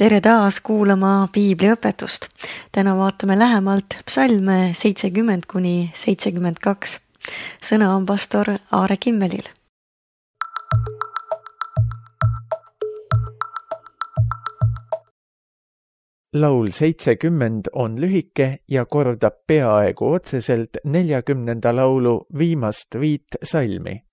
Tere taas kuulama piibliõpetust. Täna vaatame lähemalt psalme 70–72. Sõna on pastor Aare Kimmelil. Laul 70 on lühike ja kordab peaaegu otseselt 40. laulu viimast 5 salmi.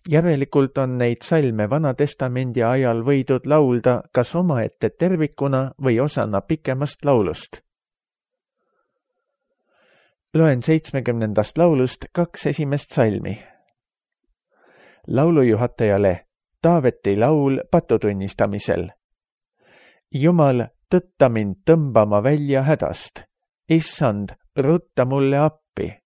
Järelikult on neid salme Vana-testamendi ajal võidud laulda kas omaette tervikuna või osana pikemast laulust. Loen 70. laulust 2 esimest salmi. Laulujuhatajale Taaveti laul patutunnistamisel. Jumal, tõtta mind tõmbama välja hädast. Issand, rutta mulle appi.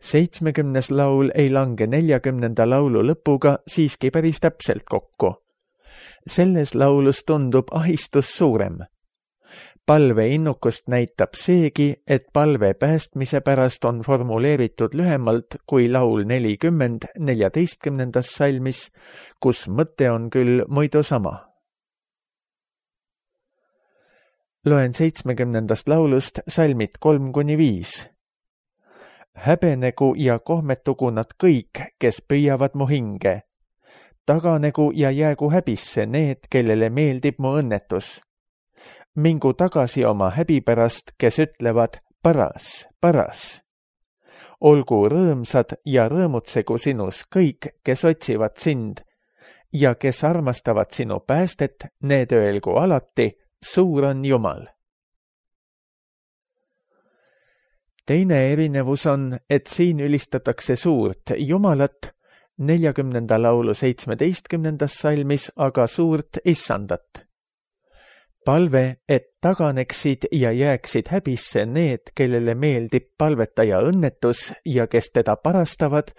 70. laul ei lange 40. laulu lõpuga siiski päris täpselt kokku. Selles laulus tundub ahistus suurem. Palve innukust näitab seegi, et palve päästmise pärast on formuleeritud lühemalt kui laul 40 14. salmis, kus mõte on küll muidu sama. Loen 70. laulust salmid 3–5. Häbenegu ja kohmetugu nad kõik, kes püüavad mu hinge. Taganegu ja jäägu häbisse need, kellele meeldib mu õnnetus. Mingu tagasi oma häbi pärast, kes ütlevad paras, paras. Olgu rõõmsad ja rõõmutsegu sinus kõik, kes otsivad sind ja kes armastavad sinu päästet, need öelgu alati, suur on Jumal. Teine erinevus on, et siin ülistatakse suurt Jumalat, 40. laulu 17. salmis aga suurt Issandat. Palve, et taganeksid ja jääksid häbisse need, kellele meeldib palvetaja õnnetus ja kes teda parastavad,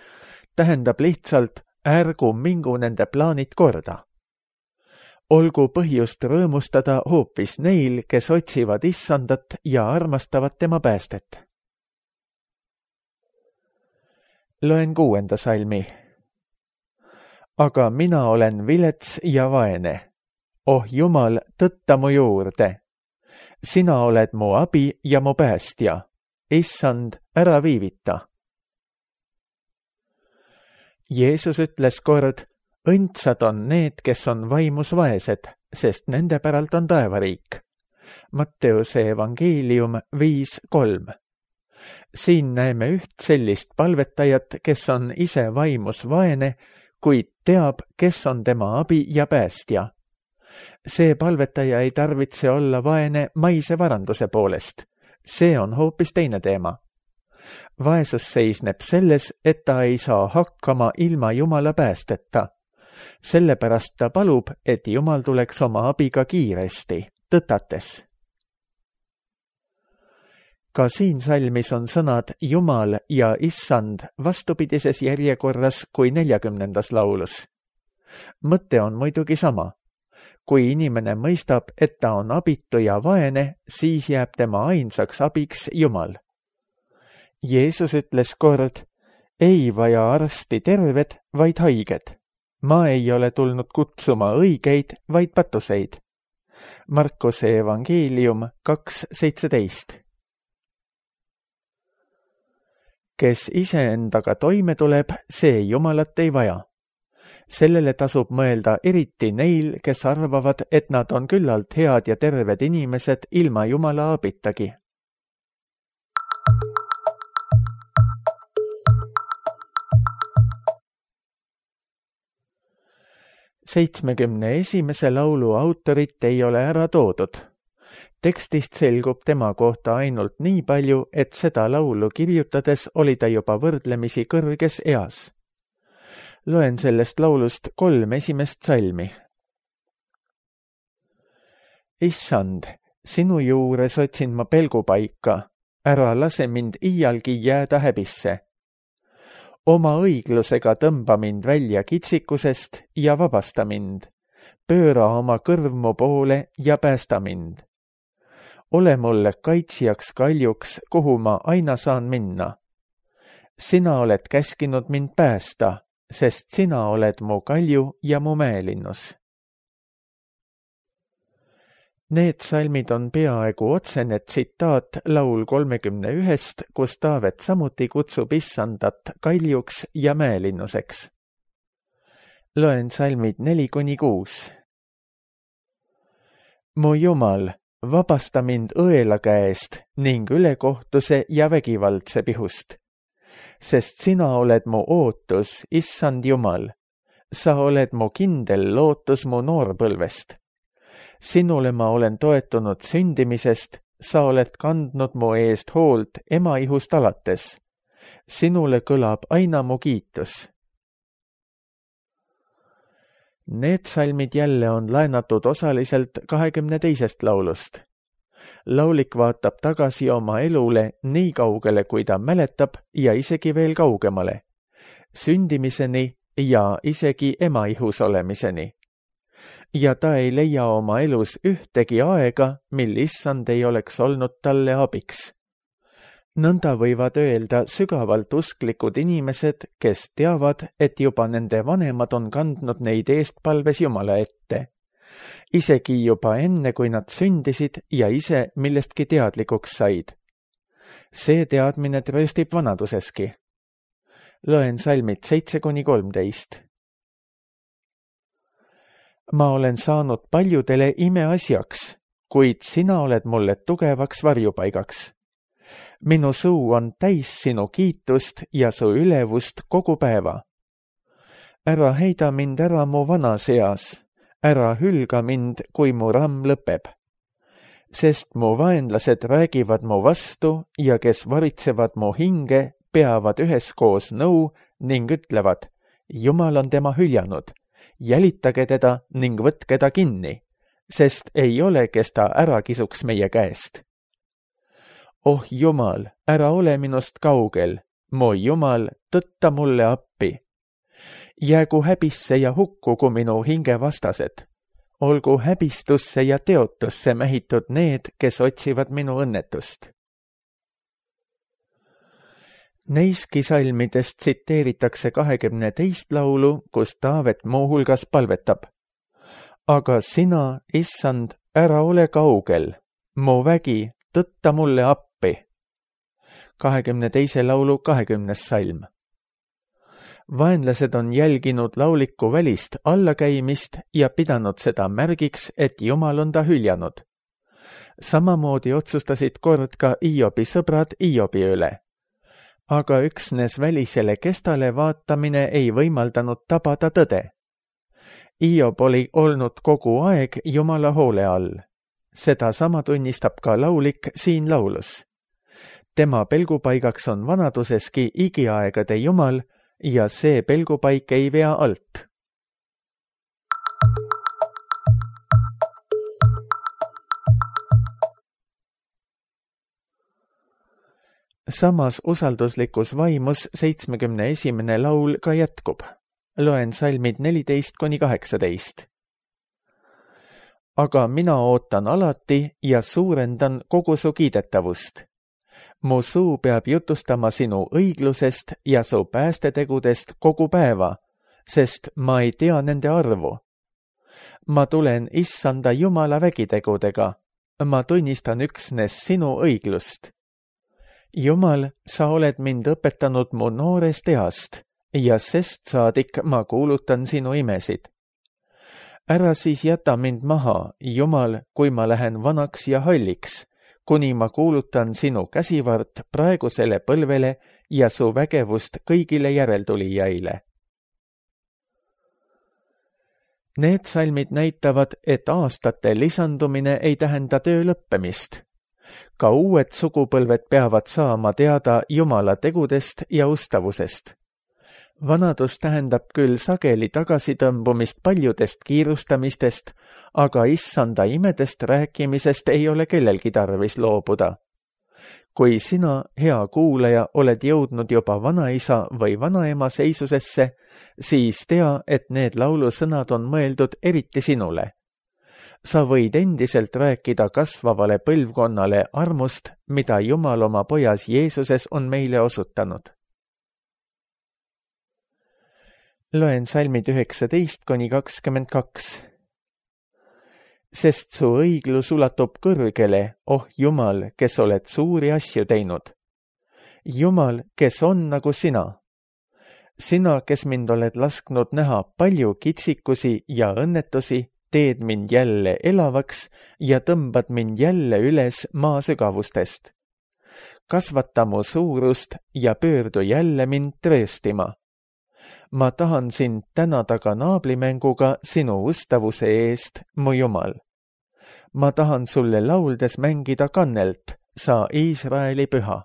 tähendab lihtsalt ärgu mingu nende plaanid korda. Olgu põhjust rõõmustada hoopis neil, kes otsivad Issandat ja armastavad tema päästet. Loen 6. salmi. Aga mina olen vilets ja vaene. Oh Jumal, tõtta mu juurde. Sina oled mu abi ja mu päästja. Issand, ära viivita. Jeesus ütles kord, õndsad on need, kes on vaimus vaesed, sest nende päralt on taevariik. Matteuse evangeelium 5:3. Siin näeme üht sellist palvetajat, kes on ise vaimus vaene, kuid teab, kes on tema abi ja päästja. See palvetaja ei tarvitse olla vaene maise varanduse poolest. See on hoopis teine teema. Vaesus seisneb selles, et ta ei saa hakkama ilma Jumala päästeta. Sellepärast ta palub, et Jumal tuleks oma abiga kiiresti, tõtates. Ka siin salmis on sõnad Jumal ja Issand vastupidises järjekorras kui 40. laulus. Mõte on muidugi sama. Kui inimene mõistab, et ta on abitu ja vaene, siis jääb tema ainsaks abiks Jumal. Jeesus ütles kord, ei vaja arsti terved, vaid haiged. Ma ei ole tulnud kutsuma õigeid, vaid patuseid. Markuse evangeelium 2:17. Kes iseendaga toime tuleb, see Jumalat ei vaja. Sellele tasub mõelda eriti neil, kes arvavad, et nad on küllalt head ja terved inimesed ilma Jumala abitagi. Seitsmekümne esimese laulu autorit ei ole ära toodud. Tekstist selgub tema kohta ainult nii palju, et seda laulu kirjutades oli ta juba võrdlemisi kõrges eas. Loen sellest laulust 3 esimest salmi. Issand, sinu juures otsin ma pelgupaika, ära lase mind iialgi jääda häbisse. Oma õiglusega tõmba mind välja kitsikusest ja vabasta mind. Pööra oma kõrv mu poole ja päästa mind. Ole mulle kaitsjaks kaljuks, kuhu ma aina saan minna. Sina oled käskinud mind päästa, sest sina oled mu kalju ja mu mäelinnus. Need salmid on peaaegu otsene tsitaat laul 31, kus Taavet samuti kutsub issandat kaljuks ja mäelinnuseks. Loen salmid 4-6. Mu Jumal, vabasta mind õela käest ning ülekohtuse ja vägivaldse pihust. Sest sina oled mu ootus, issand Jumal. Sa oled mu kindel lootus mu noorpõlvest. Sinule ma olen toetunud sündimisest, sa oled kandnud mu eest hoolt emaihust alates. Sinule kõlab aina mu kiitus. Need salmid jälle on laenatud osaliselt 22. laulust. Laulik vaatab tagasi oma elule nii kaugele, kui ta mäletab ja isegi veel kaugemale. Sündimiseni ja isegi emaihus olemiseni. Ja ta ei leia oma elus ühtegi aega, mil issand ei oleks olnud talle abiks. Nõnda võivad öelda sügavalt usklikud inimesed, kes teavad, et juba nende vanemad on kandnud neid eestpalves Jumala ette. Isegi juba enne, kui nad sündisid ja ise millestki teadlikuks said. See teadmine trööstib vanaduseski. Loen salmid 7-13. Ma olen saanud paljudele imeasjaks, kuid sina oled mulle tugevaks varjupaigaks. Minu suu on täis sinu kiitust ja su ülevust kogu päeva. Ära heida mind ära mu vanas eas, ära hülga mind, kui mu ramm lõpeb. Sest mu vaenlased räägivad mu vastu ja kes varitsevad mu hinge, peavad üheskoos nõu ning ütlevad, Jumal on tema hüljanud. Jälitage teda ning võtke ta kinni, sest ei ole, kes ta ära kisuks meie käest. Oh Jumal, ära ole minust kaugel, mu Jumal, tõtta mulle appi. Jäägu häbisse ja hukkugu minu hinge vastased. Olgu häbistusse ja teotusse mähitud need, kes otsivad minu õnnetust. Neiski salmidest tsiteeritakse 22. laulu, kus Taavet muuhulgas palvetab. Aga sina, issand, ära ole kaugel, mu vägi, tõtta mulle appi. 22. laulu 20. salm. Vaenlased on jälginud lauliku välist allakäimist ja pidanud seda märgiks, et Jumal on ta hüljanud. Samamoodi otsustasid kord ka Iobi sõbrad Iobi üle. Aga üksnes välisele kestale vaatamine ei võimaldanud tabada tõde. Iob oli olnud kogu aeg Jumala hoole all. Seda sama tunnistab ka laulik siin laulus. Tema pelgupaigaks on vanaduseski igiaegade Jumal ja see pelgupaik ei vea alt. Samas usalduslikus vaimus 71. laul ka jätkub. Loen salmid 14-18. Aga mina ootan alati ja suurendan kogu su kiidetavust. Mu suu peab jutustama sinu õiglusest ja su päästetegudest kogu päeva, sest ma ei tea nende arvu. Ma tulen issanda Jumala vägitegudega. Ma tunnistan üksnes sinu õiglust. Jumal, sa oled mind õpetanud mu noorest east ja sest saadik ma kuulutan sinu imesid. Ära siis jäta mind maha, Jumal, kui ma lähen vanaks ja halliks, kuni ma kuulutan sinu käsivart praegusele põlvele ja su vägevust kõigile järeltulijaile. Need salmid näitavad, et aastate lisandumine ei tähenda töö lõppemist. Ka uued sugupõlved peavad saama teada Jumala tegudest ja ustavusest. Vanadus tähendab küll sageli tagasitõmbumist paljudest kiirustamistest, aga issanda imedest rääkimisest ei ole kellelgi tarvis loobuda. Kui sina, hea kuulaja, oled jõudnud juba vanaisa või vanaema seisusesse, siis tea, et need laulusõnad on mõeldud eriti sinule. Sa võid endiselt rääkida kasvavale põlvkonnale armust, mida Jumal oma pojas Jeesuses on meile osutanud. Loen salmid 19-22. sest su õiglus ulatub kõrgele, oh Jumal, kes oled suuri asju teinud. Jumal, kes on nagu sina. Sina, kes mind oled lasknud näha palju kitsikusi ja õnnetusi, teed mind jälle elavaks ja tõmbad mind jälle üles maa sügavustest. Kasvata mu suurust ja pöördu jälle mind trööstima. Ma tahan sind tänada ka naablimänguga sinu ustavuse eest, mu Jumal. Ma tahan sulle lauldes mängida kannelt, sa Iisraeli püha.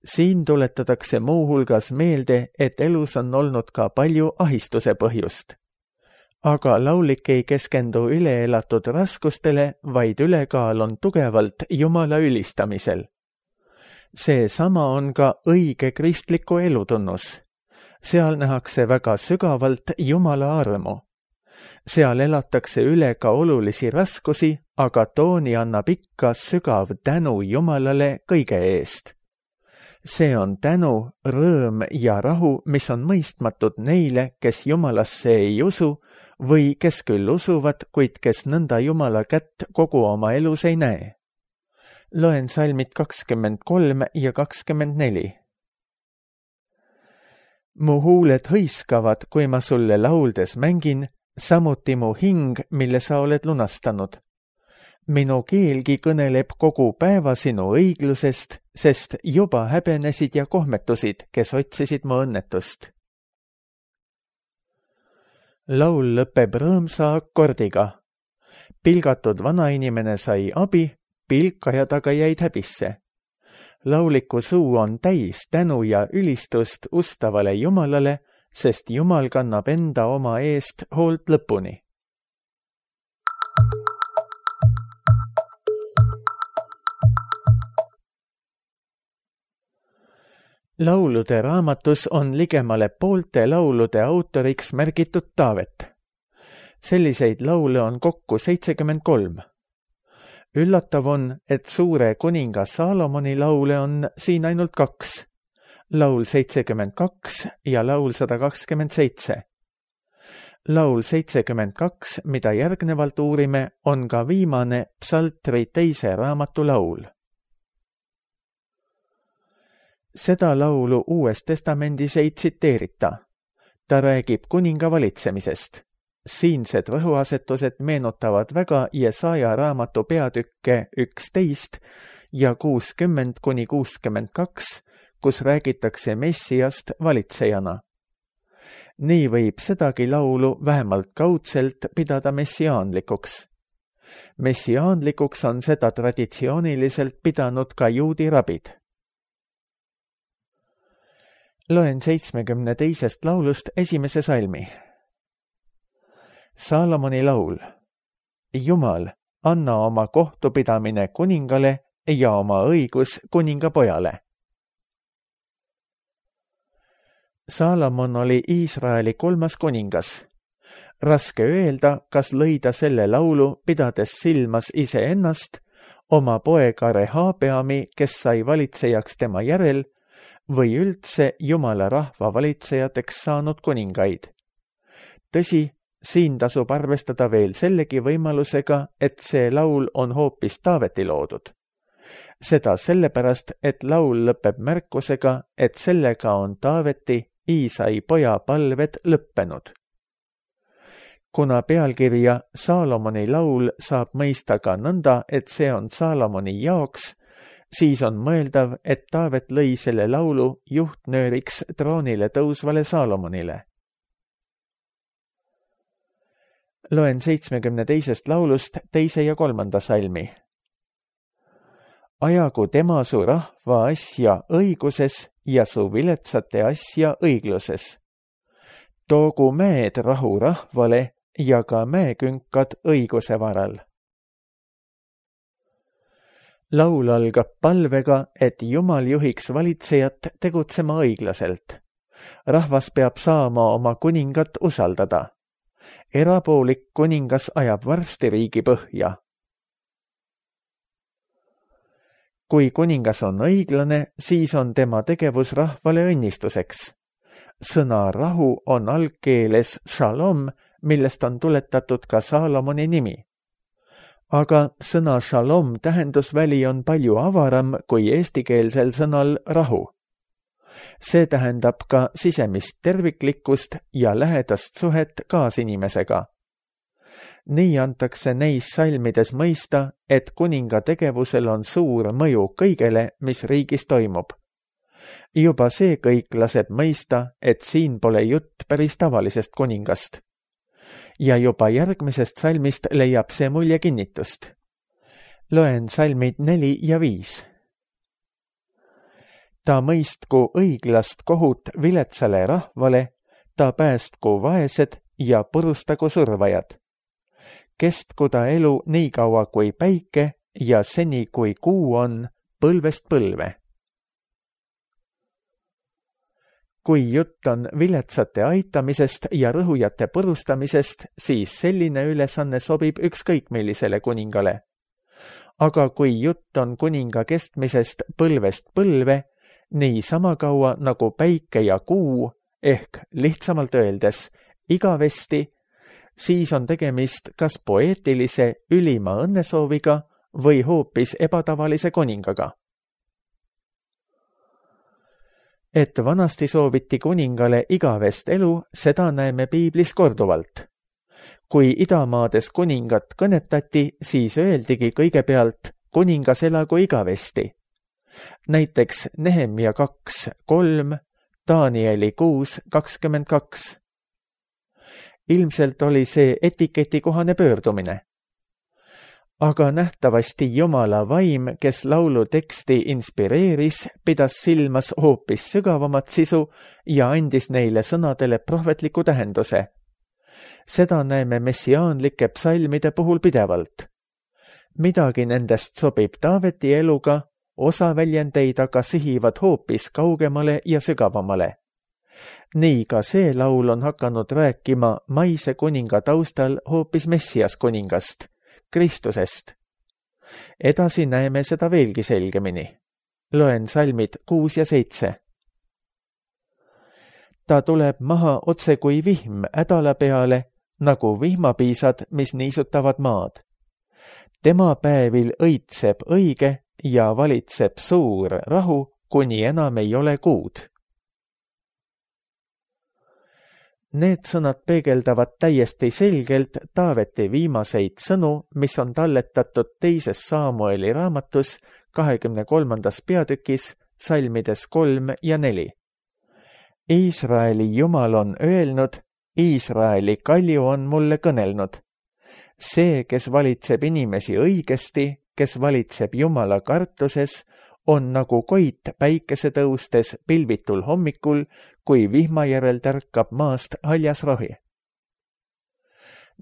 Siin tuletatakse muuhulgas meelde, et elus on olnud ka palju ahistuse põhjust. Aga laulik ei keskendu üleelatud raskustele, vaid ülekaal on tugevalt Jumala ülistamisel. Seesama on ka õige kristliku elutunnus. Seal nähakse väga sügavalt Jumala armu. Seal elatakse üle ka olulisi raskusi, aga tooni annab ikka sügav tänu Jumalale kõige eest. See on tänu, rõõm ja rahu, mis on mõistmatud neile, kes Jumalasse ei usu või kes küll usuvad, kuid kes nõnda Jumala kätt kogu oma elus ei näe. Loen salmid 23 ja 24. Mu huuled hõiskavad, kui ma sulle lauldes mängin, samuti mu hing, mille sa oled lunastanud. Minu keelgi kõneleb kogu päeva sinu õiglusest, sest juba häbenesid ja kohmetusid, kes otsisid mu õnnetust. Laul lõpeb rõõmsa akordiga. Pilgatud vanainimene sai abi, pilkajad aga jäid häbisse. Lauliku suu on täis tänu ja ülistust ustavale Jumalale, sest Jumal kannab enda oma eest hoolt lõpuni. Laulude raamatus on ligemale poolte laulude autoriks märgitud Taavet. Selliseid laule on kokku 73. Üllatav on, et suure kuninga Saalomoni laule on siin ainult 2. Laul 72 ja laul 127. Laul 72, mida järgnevalt uurime, on ka viimane psaltri 2. raamatu laul. Seda laulu Uues Testamendis ei tsiteerita. Ta räägib kuninga valitsemisest. Siinsed rõhuasetused meenutavad väga Jesaja raamatu peatükke 11 ja 60-62, kus räägitakse Messiast valitsejana. Nii võib sedagi laulu vähemalt kaudselt pidada messiaanlikuks. Messiaanlikuks on seda traditsiooniliselt pidanud ka juudi rabid. Loen 72. laulust esimese salmi. Saalomoni laul. Jumal, anna oma kohtupidamine kuningale ja oma õigus kuningapojale. Saalomon oli Iisraeli 3. kuningas. Raske öelda, kas lõi ta selle laulu, pidades silmas iseennast, oma poega Rehabeami, kes sai valitsejaks tema järel, või üldse Jumala rahva valitsejateks saanud kuningaid. Tõsi, siin tasub arvestada veel sellegi võimalusega, et see laul on hoopis Taaveti loodud. Seda sellepärast, et laul lõpeb märkusega, et sellega on Taaveti, Iisai poja palved lõppenud. Kuna pealkirja Saalomoni laul saab mõista ka nõnda, et see on Saalomoni jaoks, siis on mõeldav, et Taavet lõi selle laulu juhtnööriks troonile tõusvale Saalomonile. Loen 72. laulust 2. ja 3. salmi. Ajagu tema su rahva asja õiguses ja su viletsate asja õigluses. Toogu mäed rahu rahvale ja ka mäekünkad õiguse varal. Laul algab palvega, et Jumal juhiks valitsejat tegutsema õiglaselt. Rahvas peab saama oma kuningat usaldada. Erapoolik kuningas ajab varsti riigi põhja. Kui kuningas on õiglane, siis on tema tegevus rahvale õnnistuseks. Sõna rahu on algkeeles shalom, millest on tuletatud ka Saalomoni nimi. Aga sõna shalom tähendusväli on palju avaram kui eestikeelsel sõnal rahu. See tähendab ka sisemist terviklikkust ja lähedast suhet kaasinimesega. Nii antakse neis salmides mõista, et kuninga tegevusel on suur mõju kõigele, mis riigis toimub. Juba see kõik laseb mõista, et siin pole jutt päris tavalisest kuningast. Ja juba järgmisest salmist leiab see mulje kinnitust. Loen salmid 4 ja 5. Ta mõistku õiglast kohut viletsale rahvale, ta päästku vaesed ja purustagu survajad. Kestku ta elu nii kaua kui päike ja seni kui kuu on põlvest põlve. Kui jutt on viletsate aitamisest ja rõhujate purustamisest, siis selline ülesanne sobib ükskõik millisele kuningale. Aga kui jutt on kuninga kestmisest põlvest põlve, nii sama kaua nagu päike ja kuu, ehk lihtsamalt öeldes igavesti, siis on tegemist kas poeetilise ülima õnnesooviga või hoopis ebatavalise kuningaga. Et vanasti sooviti kuningale igavest elu, seda näeme piiblis korduvalt. Kui idamaades kuningat kõnetati, siis öeldigi kõigepealt kuningas elagu igavesti. Näiteks Nehemia 2:3, Danieli 6:22. Ilmselt oli see etiketikohane pöördumine. Aga nähtavasti Jumala vaim, kes laulu teksti inspireeris, pidas silmas hoopis sügavamat sisu ja andis neile sõnadele prohvetliku tähenduse. Seda näeme messiaanlike psalmide puhul pidevalt. Midagi nendest sobib Taaveti eluga, osa väljendeid aga sihivad hoopis kaugemale ja sügavamale. Nii ka see laul on hakanud rääkima maise kuninga taustal hoopis Messias kuningast, Kristusest. Edasi näeme seda veelgi selgemini. Loen salmid 6 ja 7. Ta tuleb maha otse kui vihm ädala peale, nagu vihmapiisad, mis niisutavad maad. Tema päevil õitseb õige ja valitseb suur rahu, kuni enam ei ole kuud. Need sõnad peegeldavad täiesti selgelt Taaveti viimaseid sõnu, mis on talletatud 2. Saamueli raamatus 23. peatükis, salmides 3 ja 4. Iisraeli Jumal on öelnud, Iisraeli kalju on mulle kõnelnud. See, kes valitseb inimesi õigesti, kes valitseb Jumala kartuses, on nagu koit päikese tõustes pilvitul hommikul, kui vihma järel tärkab maast haljas rohi.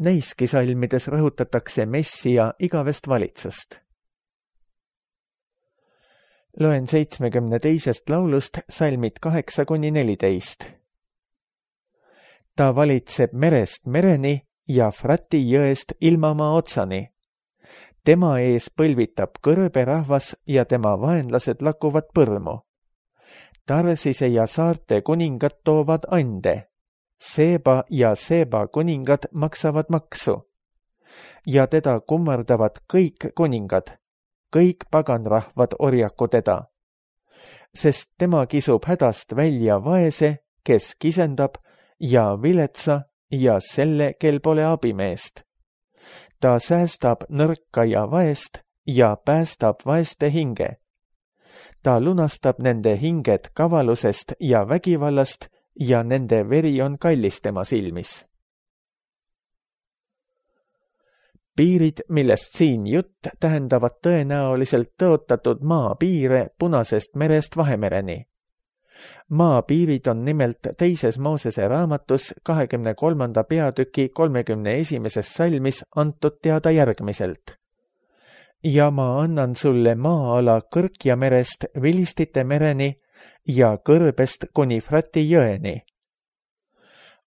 Neiski salmides rõhutatakse Messia igavest valitsust. Loen 72. laulust salmid 8-14. Ta valitseb merest mereni ja Frati jõest ilmamaa otsani. Tema ees põlvitab kõrbe rahvas ja tema vaenlased lakuvad põrmu. Tarsise ja saarte kuningad toovad ande. Seeba ja Seeba kuningad maksavad maksu. Ja teda kummardavad kõik kuningad. Kõik paganrahvad orjaku teda. Sest tema kisub hädast välja vaese, kes kisendab, ja viletsa ja selle, kel pole abimeest. Ta säästab nõrka ja vaest ja päästab vaeste hinge. Ta lunastab nende hinged kavalusest ja vägivallast ja nende veri on kallis tema silmis. Piirid, millest siin jutt, tähendavad tõenäoliselt tõotatud maapiire Punasest merest Vahemereni. Maapiirid on nimelt 2. Moosese raamatus 23. peatüki 31. salmis antud teada järgmiselt. Ja ma annan sulle maa-ala Kõrkja merest Vilistite mereni ja kõrbest kuni Frati jõeni.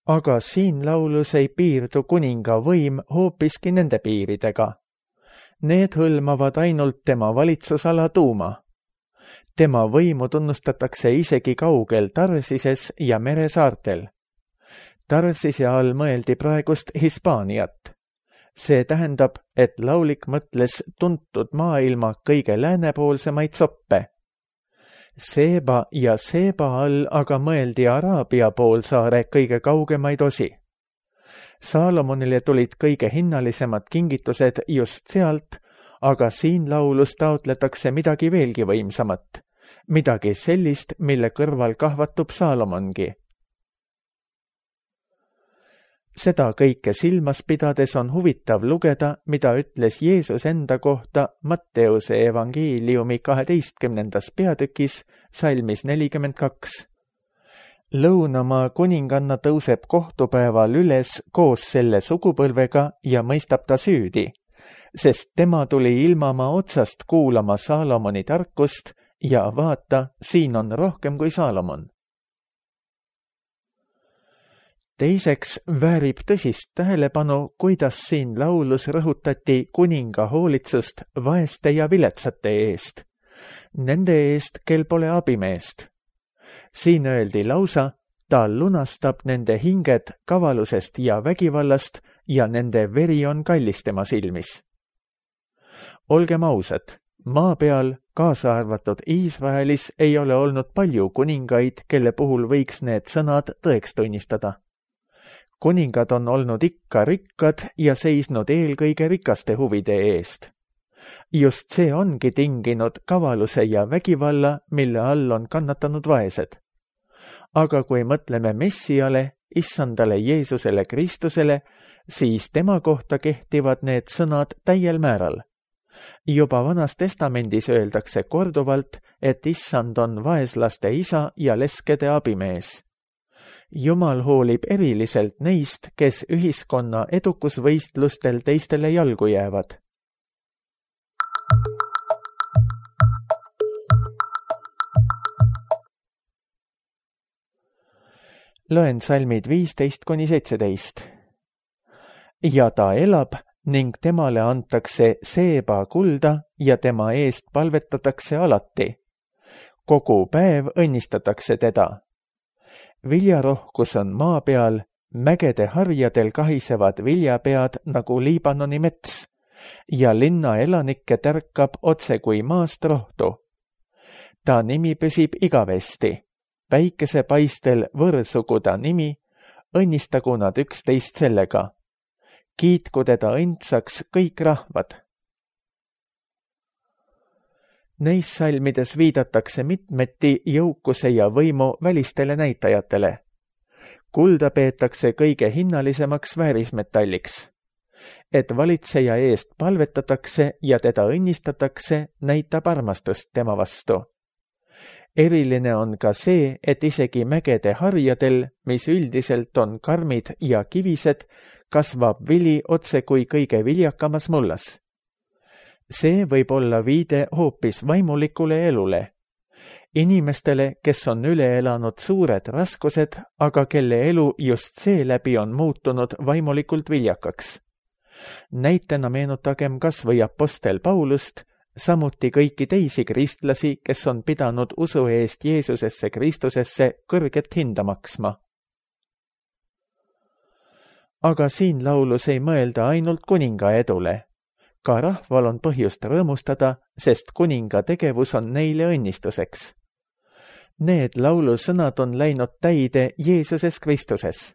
Aga siin laulus ei piirdu kuninga võim hoopiski nende piiridega. Need hõlmavad ainult tema valitsusala tuuma. Tema võimu tunnustatakse isegi kaugel Tarsises ja meresaartel. Tarsise all mõeldi praegust Hispaaniat. See tähendab, et laulik mõtles tuntud maailma kõige läänepoolsemaid soppe. Seeba ja Seeba all aga mõeldi Araabia poolsaare kõige kaugemaid osi. Saalomonile tulid kõige hinnalisemad kingitused just sealt, aga siin laulus taotletakse midagi veelgi võimsamat, midagi sellist, mille kõrval kahvatub Saalomongi. Seda kõike silmas pidades on huvitav lugeda, mida ütles Jeesus enda kohta Matteuse evangeeliumi 12. peatükis salmis 42. Lõunamaa kuninganna tõuseb kohtupäeval üles koos selle sugupõlvega ja mõistab ta süüdi, sest tema tuli ilmamaa otsast kuulama Saalomoni tarkust ja vaata, siin on rohkem kui Saalomon. Teiseks väärib tõsist tähelepanu, kuidas siin laulus rõhutati kuninga hoolitsust vaeste ja viletsate eest, nende eest, kel pole abimeest. Siin öeldi lausa, ta lunastab nende hinged kavalusest ja vägivallast ja nende veri on kallis tema silmis. Olgem ausad, maa peal, kaasa arvatud Iisraelis, ei ole olnud palju kuningaid, kelle puhul võiks need sõnad tõeks tunnistada. Kuningad on olnud ikka rikkad ja seisnud eelkõige rikaste huvide eest. Just see ongi tinginud kavaluse ja vägivalla, mille all on kannatanud vaesed. Aga kui mõtleme Messiale, issandale Jeesusele Kristusele, siis tema kohta kehtivad need sõnad täiel määral. Juba Vanas Testamendis öeldakse korduvalt, et issand on vaeslaste isa ja leskede abimees. Jumal hoolib eriliselt neist, kes ühiskonna edukusvõistlustel teistele jalgu jäävad. Loen salmid 15–17. Ja ta elab ning temale antakse Seeba kulda ja tema eest palvetatakse alati. Kogu päev õnnistatakse teda. Viljarohkus on maa peal, mägede harjadel kahisevad viljapead nagu Liibanoni mets ja linna elanikke tärkab otse kui maast rohtu. Ta nimi püsib igavesti, päikesepaistel võrsugu ta nimi, õnnistagu nad üksteist sellega. Kiitku teda õndsaks kõik rahvad. Neis salmides viidatakse mitmeti jõukuse ja võimu välistele näitajatele. Kulda peetakse kõige hinnalisemaks väärismetalliks. Et valitseja eest palvetatakse ja teda õnnistatakse, näitab armastust tema vastu. Eriline on ka see, et isegi mägede harjadel, mis üldiselt on karmid ja kivised, kasvab vili otse kui kõige viljakamas mullas. See võib olla viide hoopis vaimulikule elule. Inimestele, kes on üle elanud suured raskused, aga kelle elu just seeläbi on muutunud vaimulikult viljakaks. Näitena meenutagem kas või apostel Paulust, samuti kõiki teisi kristlasi, kes on pidanud usu eest Jeesusesse Kristusesse kõrget hinda maksma. Aga siin laulus ei mõelda ainult kuninga edule. Ka rahval on põhjust rõõmustada, sest kuninga tegevus on neile õnnistuseks. Need laulusõnad on läinud täide Jeesuses Kristuses.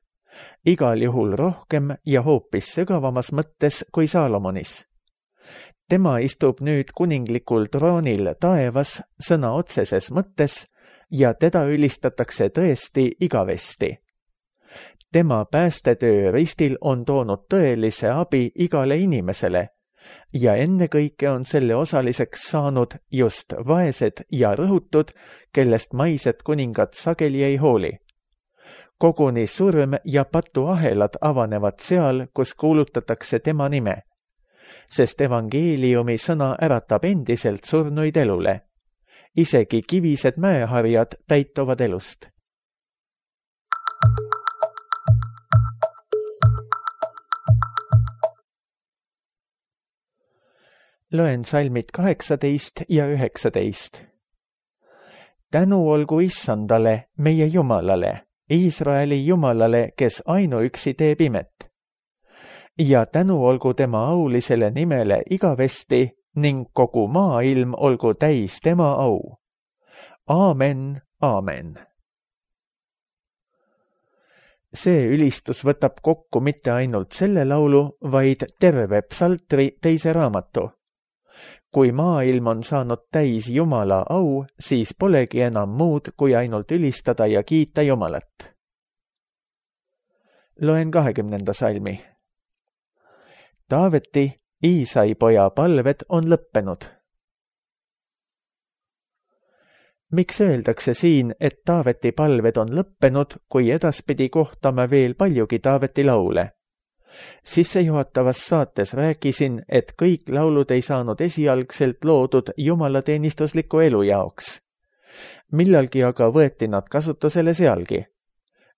Igal juhul rohkem ja hoopis sügavamas mõttes kui Saalomonis. Tema istub nüüd kuninglikul troonil taevas sõna otseses mõttes ja teda ülistatakse tõesti igavesti. Tema päästetöö ristil on toonud tõelise abi igale inimesele ja ennekõike on selle osaliseks saanud just vaesed ja rõhutud, kellest maised kuningad sageli ei hooli. Koguni surm ja patuahelad avanevad seal, kus kuulutatakse tema nime, sest evangeeliumi sõna äratab endiselt surnuid elule. Isegi kivised mäeharjad täituvad elust. Loen salmid 18 ja 19. Tänu olgu issandale, meie Jumalale, Iisraeli Jumalale, kes ainuüksi teeb imet. Ja tänu olgu tema aulisele nimele igavesti ning kogu maailm olgu täis tema au. Aamen, aamen. See ülistus võtab kokku mitte ainult selle laulu, vaid terve psaltri teise raamatu. Kui maailm on saanud täis Jumala au, siis polegi enam muud, kui ainult ülistada ja kiita Jumalat. Loen 20. salmi. Taaveti, Iisai poja palved on lõppenud. Miks öeldakse siin, et Taaveti palved on lõppenud, kui edaspidi kohtame veel paljugi Taaveti laule? Sissejuhatavas saates rääkisin, et kõik laulud ei saanud esialgselt loodud jumalateenistusliku elu jaoks. Millalgi aga võeti nad kasutusele sealgi.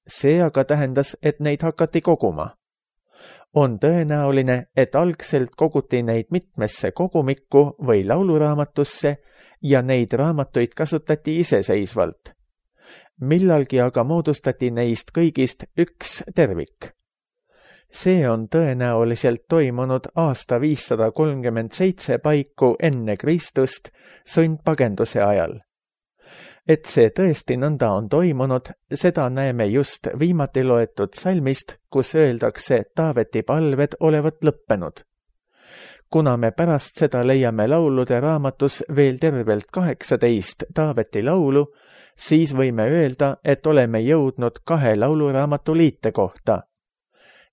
See aga tähendas, et neid hakati koguma. On tõenäoline, et algselt koguti neid mitmesse kogumikku või lauluraamatusse ja neid raamatuid kasutati iseseisvalt. Millalgi aga moodustati neist kõigist üks tervik. See on tõenäoliselt toimunud aasta 537 paiku enne Kristust sundpagenduse ajal. Et see tõesti nõnda on toimunud, seda näeme just viimati loetud salmist, kus öeldakse Taaveti palved olevat lõppenud. Kuna me pärast seda leiame laulude raamatus veel tervelt 18 Taaveti laulu, siis võime öelda, et oleme jõudnud 2 lauluraamatu liite kohta.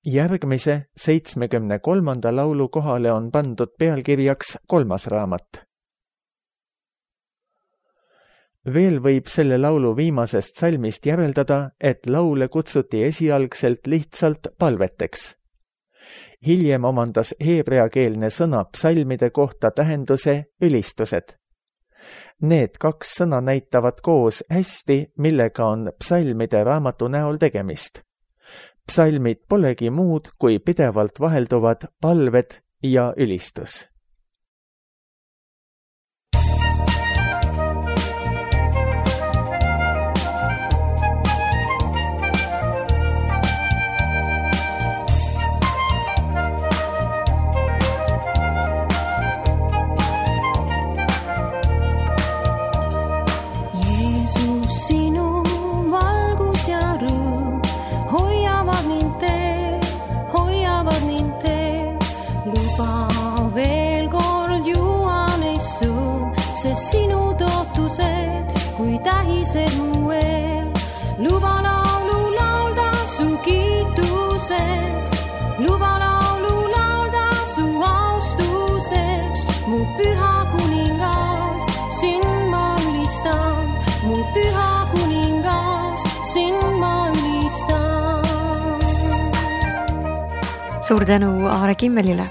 Järgmise 73. laulu kohale on pandud pealkirjaks 3. raamat. Veel võib selle laulu viimasest salmist järeldada, et laule kutsuti esialgselt lihtsalt palveteks. Hiljem omandas heebreakeelne sõna psalmide kohta tähenduse ülistused. Need 2 sõna näitavad koos hästi, millega on psalmide raamatu näol tegemist. Psalmid polegi muud, kui pidevalt vahelduvad palved ja ülistus. Sinu tootused, kui tähised mu eel. Luba laulu laulda su kiituseks. Luba laulu laulda su austuseks. Mu püha kuningas, sind ma ülistan. Mu püha kuningas, sind ma ülistan. Suur tänu Aare Kimmelile.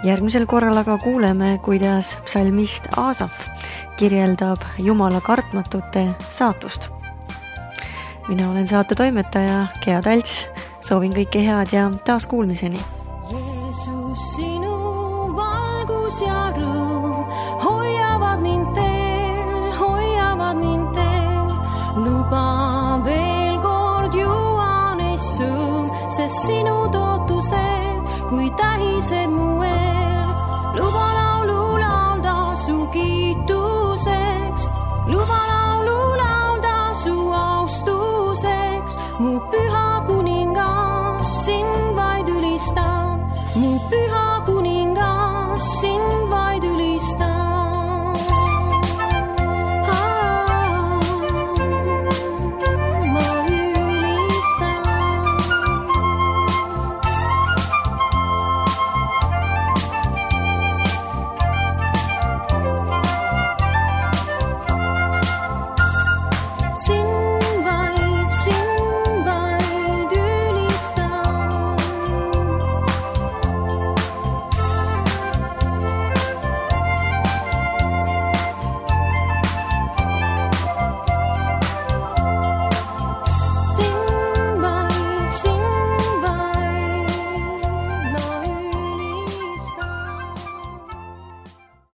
Järgmisel korral aga kuuleme, kuidas psalmist Aasaf kirjeldab Jumala kartmatute saatust. Mina olen saate toimetaja Gea Talts. Soovin kõike head ja taas kuulmiseni. Jeesus, sinu valgus ja rõõm hoiavad mind teel. Luba veel kord juua neist sõõm, sest sinu tootused, kui tähised mu eel.